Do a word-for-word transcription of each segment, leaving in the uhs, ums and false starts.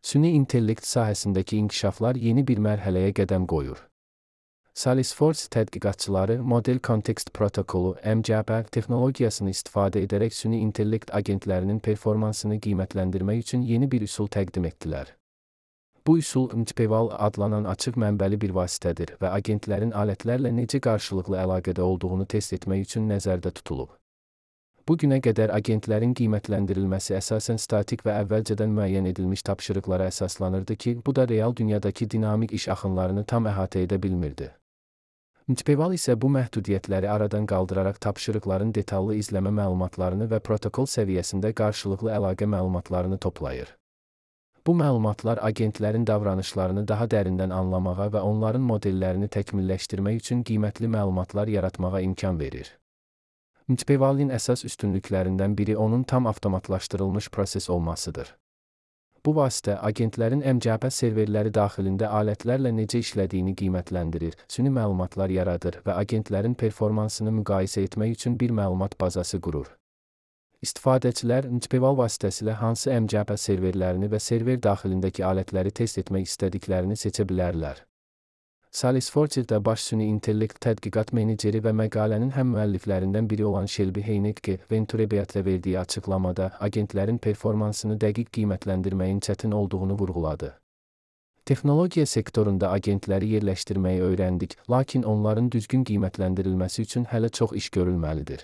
Süni intellekt sahəsindəki inkişaflar yeni bir mərhələyə qədəm qoyur. Salesforce tədqiqatçıları Model Context Protokolu M C P texnologiyasını istifadə edərək süni intellekt agentlərinin performansını qiymətləndirmək üçün yeni bir üsul təqdim etdilər. Bu üsul Mtpeval adlanan açıq mənbəli bir vasitədir və agentlərin alətlərlə necə qarşılıqlı əlaqədə olduğunu test etmək üçün nəzərdə tutulub. Bu günə qədər agentlərin qiymətləndirilməsi əsasən statik və əvvəlcədən müəyyən edilmiş tapşırıqlara əsaslanırdı ki, bu da real dünyadakı dinamik iş axınlarını tam əhatə edə bilmirdi. Mtpeval isə bu məhdudiyyətləri aradan qaldıraraq tapşırıqların detallı izləmə məlumatlarını və protokol səviyyəsində qarşılıqlı əlaqə məlumatlarını toplayır. Bu məlumatlar agentlərin davranışlarını daha dərindən anlamağa və onların modellərini təkmilləşdirmək üçün qiymətli məlumatlar yaratmağa imkan verir. Mtpevalin əsas üstünlüklərindən biri onun tam avtomatlaşdırılmış proses olmasıdır. Bu vasitə agentlərin M C P serverləri daxilində alətlərlə necə işlədiyini qiymətləndirir, süni məlumatlar yaradır və agentlərin performansını müqayisə etmək üçün bir məlumat bazası qurur. İstifadəçilər Mtpeval vasitəsilə hansı M C P serverlərini və server daxilindəki alətləri test etmək istədiklərini seçə bilərlər. Salesforce-da baş süni intellekt tədqiqat meneceri və məqalənin həm müəlliflərindən biri olan Shelby Heinecke Venturebeatlə verdiyi açıqlamada agentlərin performansını dəqiq qiymətləndirməyin çətin olduğunu vurğuladı. Texnologiya sektorunda agentləri yerləşdirməyi öyrəndik, lakin onların düzgün qiymətləndirilməsi üçün hələ çox iş görülməlidir.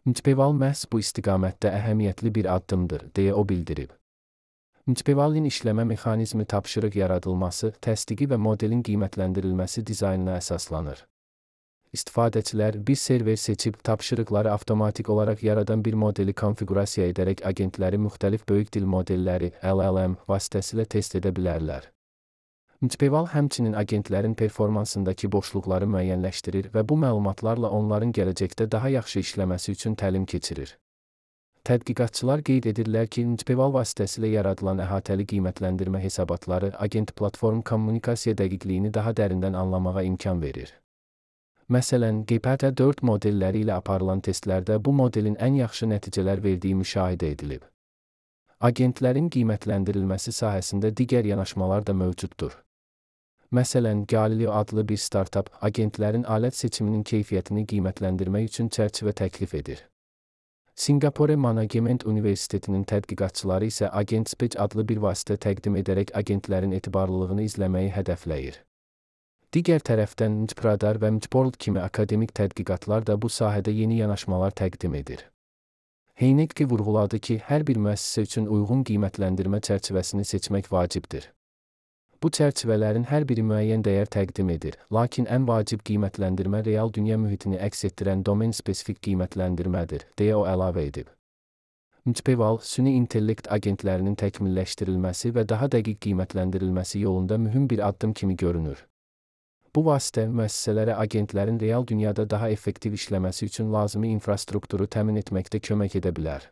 Mtpeval məhz bu istiqamətdə əhəmiyyətli bir addımdır, deyə o bildirib. Mtpevalin işləmə mexanizmi tapşırıq yaradılması, təsdiqi və modelin qiymətləndirilməsi dizaynına əsaslanır. İstifadəçilər bir server seçib tapşırıqları avtomatik olaraq yaradan bir modeli konfiqurasiya edərək agentləri müxtəlif böyük dil modelləri L L M vasitəsilə test edə bilərlər. Mtpeval həmçinin agentlərin performansındakı boşluqları müəyyənləşdirir və bu məlumatlarla onların gələcəkdə daha yaxşı işləməsi üçün təlim keçirir. Tədqiqatçılar qeyd edirlər ki, Mtpeval vasitəsilə yaradılan əhatəli qiymətləndirmə hesabatları agent platform kommunikasiya dəqiqliyini daha dərindən anlamağa imkan verir. Məsələn, G P T dörd modelləri ilə aparılan testlərdə bu modelin ən yaxşı nəticələr verdiyi müşahidə edilib. Agentlərin qiymətləndirilməsi sahəsində digər yanaşmalar da mövcuddur. Məsələn, Galileo adlı bir startap agentlərin alət seçiminin keyfiyyətini qiymətləndirmək üçün çərçivə təklif edir. Singapore Management Universitetinin tədqiqatçıları isə AgentSpec adlı bir vasitə təqdim edərək agentlərin etibarlılığını izləməyi hədəfləyir. Digər tərəfdən Mtpradar və Mtworld kimi akademik tədqiqatlar da bu sahədə yeni yanaşmalar təqdim edir. Heinecke vurğuladı ki, hər bir müəssisə üçün uyğun qiymətləndirmə çərçivəsini seçmək vacibdir. Bu çərçivələrin hər biri müəyyən dəyər təqdim edir, lakin ən vacib qiymətləndirmə real dünya mühitini əks etdirən domen-spesifik qiymətləndirmədir, deyə o əlavə edib. Mtpeval, süni intellekt agentlərinin təkmilləşdirilməsi və daha dəqiq qiymətləndirilməsi yolunda mühüm bir addım kimi görünür. Bu vasitə müəssisələrə agentlərin real dünyada daha effektiv işləməsi üçün lazımi infrastrukturu təmin etməkdə kömək edə bilər.